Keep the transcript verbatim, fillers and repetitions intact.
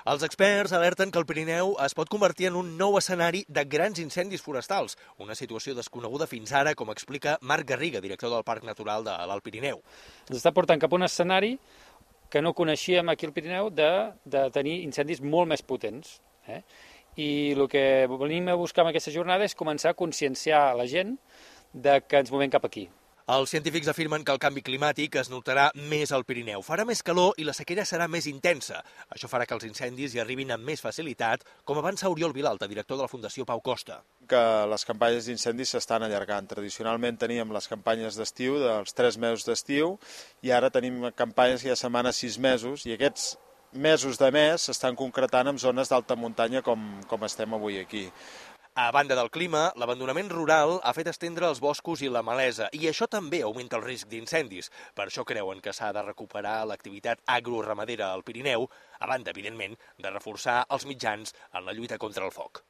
Els experts alerten que el Pirineu es pot convertir en un nou escenari de grans incendis forestals, una situació desconeguda fins ara, com explica Marc Garriga, director del Parc Natural de l'Alt Pirineu. Ens està portant cap a un escenari que no coneixíem aquí al Pirineu de, de tenir incendis molt més potents. Eh? I el que venim a buscar en aquesta jornada és començar a conscienciar la gent de que ens movem cap aquí. Els científics afirmen que el canvi climàtic es notarà més al Pirineu. Farà més calor i la sequera serà més intensa. Això farà que els incendis hi arribin amb més facilitat, com avança Oriol Vilalta, director de la Fundació Pau Costa. Que les campanyes d'incendis s'estan allargant. Tradicionalment teníem les campanyes d'estiu, dels tres mesos d'estiu, i ara tenim campanyes que ja setmanen sis mesos, i aquests mesos de mes s'estan concretant en zones d'alta muntanya com, com estem avui aquí. A banda del clima, l'abandonament rural ha fet estendre els boscos i la malesa, i això també augmenta el risc d'incendis. Per això creuen que s'ha de recuperar l'activitat agroramadera al Pirineu, a banda, evidentment, de reforçar els mitjans en la lluita contra el foc.